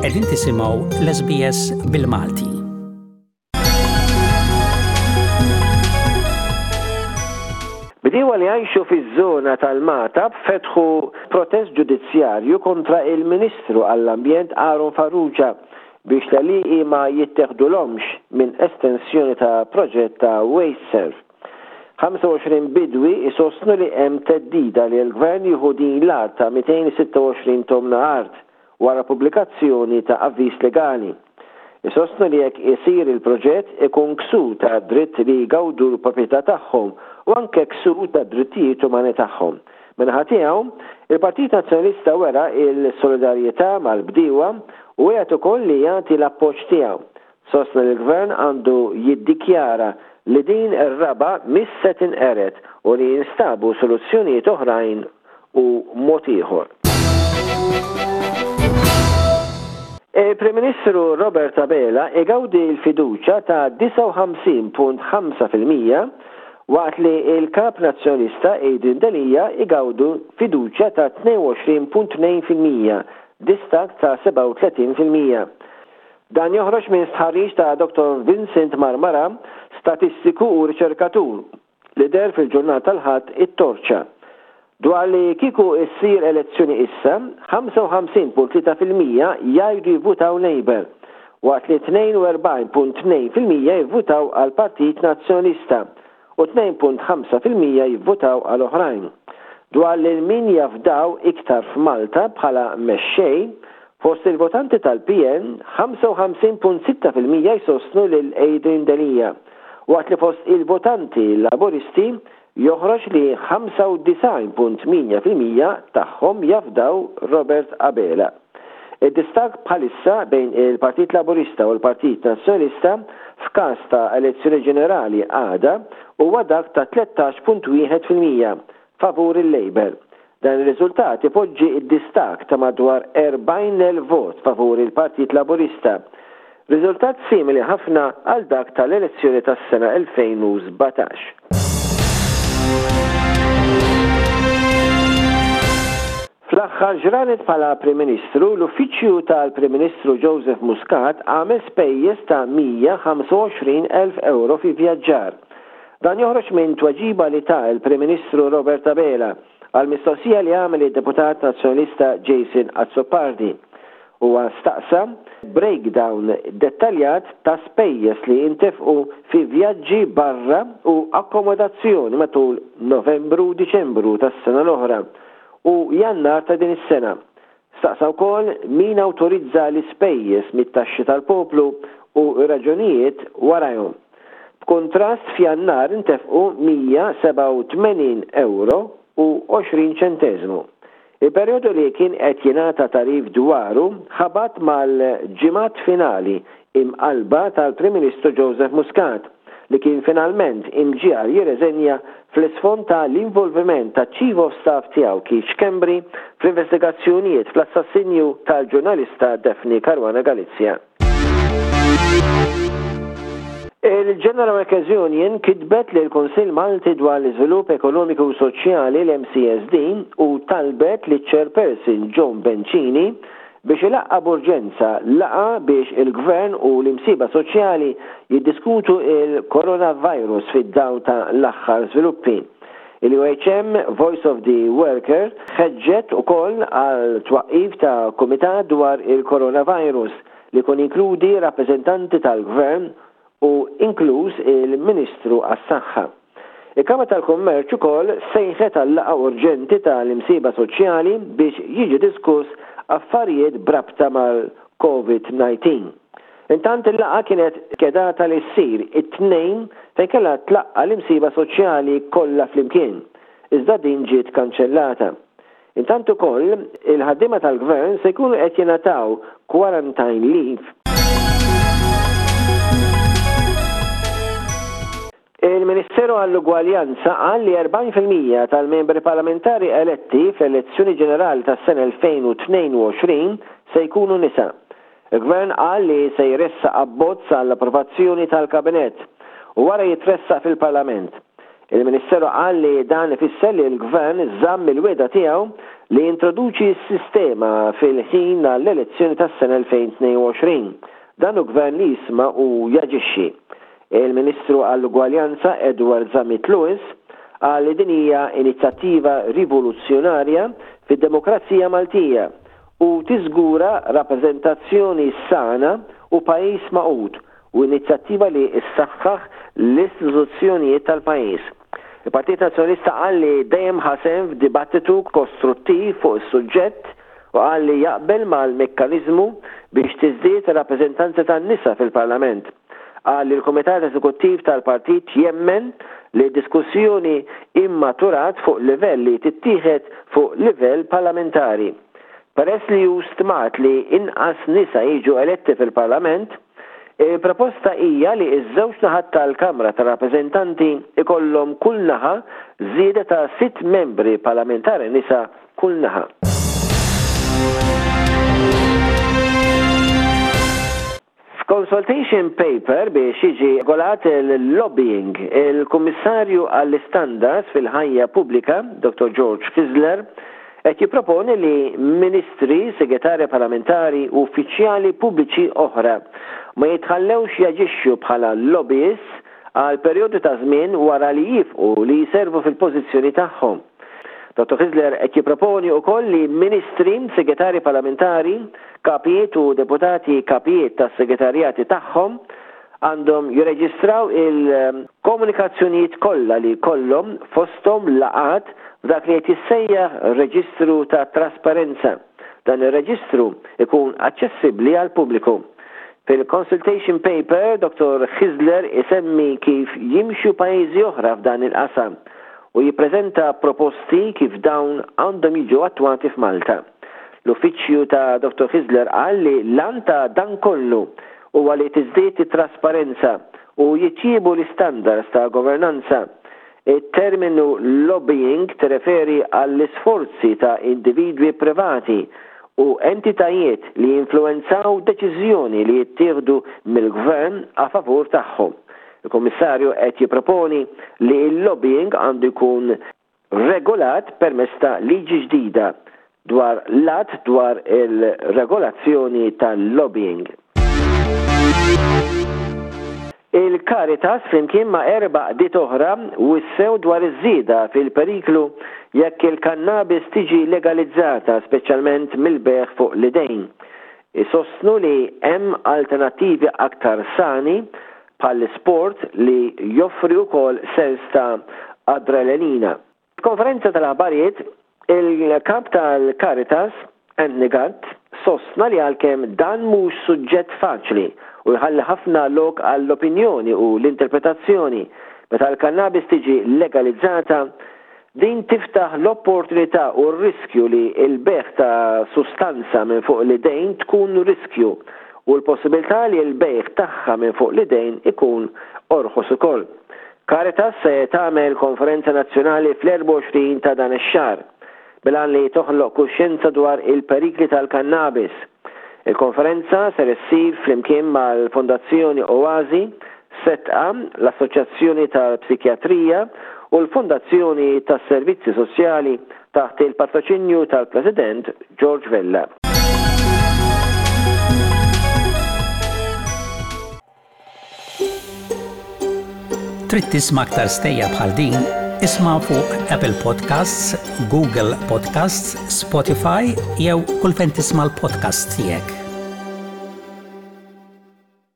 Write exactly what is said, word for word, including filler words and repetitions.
Qegħdin tisimgħu l-S B S bil-Malti. Bdiewa li jgħixu fiż-żona tal-Magħtab fetħu protest ġudizzjarju kontra il-Ministru għall-Ambjent Aaron Farrugia biex l-għelieqi ma jitteħdulhomx minn estensjoni ta' proġett ta' WasteServ. ħamsa u għoxrin bidwi isostnu li hemm theddida li l-gvern jieħu din l-art ta' mitejn u sitta u għoxrin tomna art wara pubblikazzjoni ta' avviż legali. Isostnu li jekk isir il-proġett ikun ksur ta' dritt li jgawdu l-proprjetà tagħhom u anke ksur ta' drittijiet umani tagħhom. Min-naħa tiegħu, il-Partit Nazzjonalista wera il-solidarjetà mal-bdiewa u wiegħed ukoll li jagħti l-appoġġ tiegħu. Sostna li l-gvern għandu jiddikjara li din ir-raba mhix se tinqered u li jinstabu soluzzjonijiet oħrajn u mod ieħor. Il-Prim Ministru Robert Abela igawdi l-fiduċa ta' disgħa u ħamsin punt ħamsa fil-mija waqt li il-kap nazzjonalista Adrian Delia igawdu fiduċa ta' tnejn u għoxrin punt tnejn fil-mija, distakk ta' sebgħa u tletin fil-mija. Dan joħroġ minn stħarriġ ta' Doktor Vincent Marmara, statistiku u riċerkatur, li deher fil-ġurnata tal-Ħadd It-Torċa. Dwar li kieku issir elezzjoni issa, ħamsa u ħamsin punt tlieta fil-mija jgħidu jivvutaw Labour, waqt li tnejn u erbgħin punt tnejn fil-mija jivvutaw għal Partit Nazzjonalista u tnejn punt ħamsa fil-mija jivvutaw għal oħrajn. Dwar li min jafdaw iktar f'Malta bħala mexxej, fost il-votanti tal-P N, ħamsa u ħamsin punt sitta fil-mija jsostnu lil Adrian Delia, waqt li fost il-votanti Laboristi joħroġ li ħamsa u disgħin punt tmienja fil-mija tagħhom jafdaw Robert Abela. Id-distakk bħalissa bejn il-Partit Laburista u l-Partit Nazzjonalista f'każ ta' elezzjoni ġenerali għada huwa dak ta' tlettax punt wieħed fil-mija favur il-Labour. Dan ir-riżultat ipoġġi id-distakk ta' madwar erbgħin elf vot favur il-Partit Laburista. Riżultat simili ħafna għal dak tal-elezzjoni tas-sena elfejn u sbatax. Fl-aħħar ġranet bħala Prim Ministru, l-Uffiċċju tal-Prim Ministru Joseph Muscat għamel spejjeż ta' mija u ħamsa u għoxrin elf euro fi vjaġġar. Dan joħroġ minn tweġiba li ta il-Prim Ministru Robert Abela għal mistoqsija li għamel id-deputat nazzjonalista Jason Azzopardi. Huwa staqsa breakdown dettaljat ta' spejjeż li intefqu fi vjaġġi barra u akkomodazzjoni matul Novembru u Diċembru tas-sena l-oħra u Jannar ta' din is-sena. Staqsa wkoll min awtorizza l-ispejjeż mit-taxxi tal-poplu u raġunijiet warajhom. B'kontrast, f'Jannar intefqu mija u sebgħa u tmenin euro u għoxrin ċenteżmu. Il-perjodu li kien qed jingħata tagħrif dwaru ħabat mal-ġimgħat finali imqalba tal-Prim Ministru Joseph Muscat, li kien finalment imġiegħel jirreżenja fl-isfond ta' l-involviment ta' Chief of Staff tiegħu Keith Schembri fl-investigazzjonijiet fl-assassinju tal-ġurnalista Daphne Caruana Galizia. Il-General Workers Union kitbet li l-Kunsill Malti dwar l-Iżvilupp Ekonomiku u Soċjali, l-M C S D, u talbet li chairperson John Bencini biex ilaqqa b'urġenza laqgħa biex il-gvern u l-imsieħba soċjali jiddiskutu il-coronavirus fid-dawl ta' l-aħħar żviluppi. Il-U H M Voice of the Worker ħeġġet ukoll għal twaqqif ta' kumitat dwar il-coronavirus li kun inkludi rappreżentanti tal-gvern u inkluż il-Ministru għas-Saħħa. Il-Kamra tal-Kummerċ ukoll sejħet għal laqgħa urġenti tal-imsieħba soċjali biex jiġi diskuss affarijiet brabta mal-COVID nineteen. Intant, il-laqgħa kienet skedata li ssir it-Tnejn fejn kellha tlaqqa l-imsieħba soċjali kollha flimkien. Iżda din ġiet kanċellata. Intant ukoll il-ħaddiema tal-gvern se jkunu qed jingħataw quarantine leave. Il-Ministeru għall-Ugwaljanza qal li erbgħin fil-mija tal-membri parlamentari eletti fl-elezzjoni ġenerali tas-sena elfejn u tnejn u għoxrin se jkunu nisa. Il-Gvern qal li se jressaq abbozz għall-approvazzjoni tal-Kabinett u wara jitressaq fil-Parlament. Il-Ministeru qal li dan ifisser li l-Gvern żamm il-wegħda tiegħu li jintroduċi s-sistema fil-ħin għall-elezzjoni tas-sena elfejn u tnejn u għoxrin. Dan hu gvern li jisma' u jaġixxi. Il-Ministru għall-Ugwaljanza Edward Zammit Lewis qal li din hija inizjattiva rivoluzzjonarja fid-demokrazija Maltija u tiżgura rappreżentazzjoni sana u pajjiż magħqud u inizjattiva li ssaħħaħ l-istituzzjonijiet tal-pajjiż. Il-Partit Nazzjonalista qal li dejjem ħa sehem f'dibattitu kostruttiv fuq is-suġġett u qal li jaqbel mal-mekkaniżmu biex tiżdied ir-rappreżentanza tan-nisa fil-Parlament. Qal li l-Kumitat Eżekuttiv tal-Partit jemmen li diskussjoni immaturat fuq livell li tittieħed fuq livell parlamentari. Peress li hu stmat li inqas nisa jiġu eletti fil-Parlament, il-proposta hija li ż-żewġ naħat tal-Kamra tar-Rappreżentanti ikollhom kull naħa żieda ta' sitt membri parlamentari nisa kull naħa. F'consultation paper biex jiġi regolat il-lobbying, il-Kummissarju għall-Istandards fil-ħajja pubblika, Doktor George Hyzler, qed jipproponi li ministri, segretarji parlamentari u uffiċjali pubbliċi oħra ma jitħallewx jaġixxu bħala lobbyists għal perjodu ta' żmien wara li jieqfu li jservu fil-pożizzjoni tagħhom. Doktor Hyzler qed jipproponi wkoll li ministri, segretarji parlamentari, kapijiet u deputati kapijiet tas-segretarjati tagħhom għandhom jirreġistraw il-komunikazzjonijiet kollha li kollhom, fosthom laqgħat, f'dak li qed jissejjaħ reġistru ta' trasparenza. Dan ir-reġistru ikun aċċessibbli għall-pubbliku. Fil-consultation paper, Doktor Hyzler isemmi kif jimxu pajjiżi oħra f'dan il-qasam u jippreżenta proposti kif dawn għandhom jiġu attwati f'Malta. L-uffiċċju ta' Doktor Hyzler qal li l-għan ta' dan kollu huwa li tiżdied it-trasparenza u jitjiebu l-istandards ta' governanza. Il-terminu lobbying tirreferi għall-isforzi ta' individwi privati u entitajiet li jinfluenzaw deċiżjoni li jittieħdu mill-gvern a favur tagħhom. Il-Kummissarju qed jipproponi li l-lobbying għandu jkun regolat permezz ta' liġi ġdida dwar l-att dwar il-regolazzjoni tal-lobbying. Il-Caritas flimkien ma' erba' għaqdiet oħra wissew dwar iż-żieda fil-periklu jekk il-kannabis tiġi legalizzata, speċjalment mill-bejgħ fuq l-idejn. Isostnu li hemm alternattivi aktar sani bħal sport li joffri wkoll sens ta' adrenalina. Konferenza tal-aħbarijiet, il-kap tal-Caritas, Anthony Gatt, sostna li għalkemm dan mhux suġġett faċli u jħalli ħafna lok għall-opinjoni u l-interpretazzjoni, meta l-kannabis tiġi legalizzata, din tiftaħ l-opportunità u r-riskju li l-bejgħ ta' sustanza minn fuq l-idejn tkun riskju u l-possibilità li l-bejgħ tagħha minn fuq l-idejn ikun orħos ukoll. Caritas se tagħmel konferenza nazzjonali fl-erbgħa u għoxrin ta' dan ix-xahar bil-għan li toħloq kuxjenza dwar il-perikli tal-kannabis. Il-konferenza ser issir flimkien mal-Fondazzjoni Oasi, Setqa, l-Assoċjazzjoni tal-Psikjatrija u l-Fondazzjoni tas-Servizzi Soċjali taħt il-patroċinju tal-President George Vella. Trid tisma' aktar stejjer bħal din? Isma' fuq Apple Podcasts, Google Podcasts, Spotify jew kull fejn tisma' l-podcast tiegħek.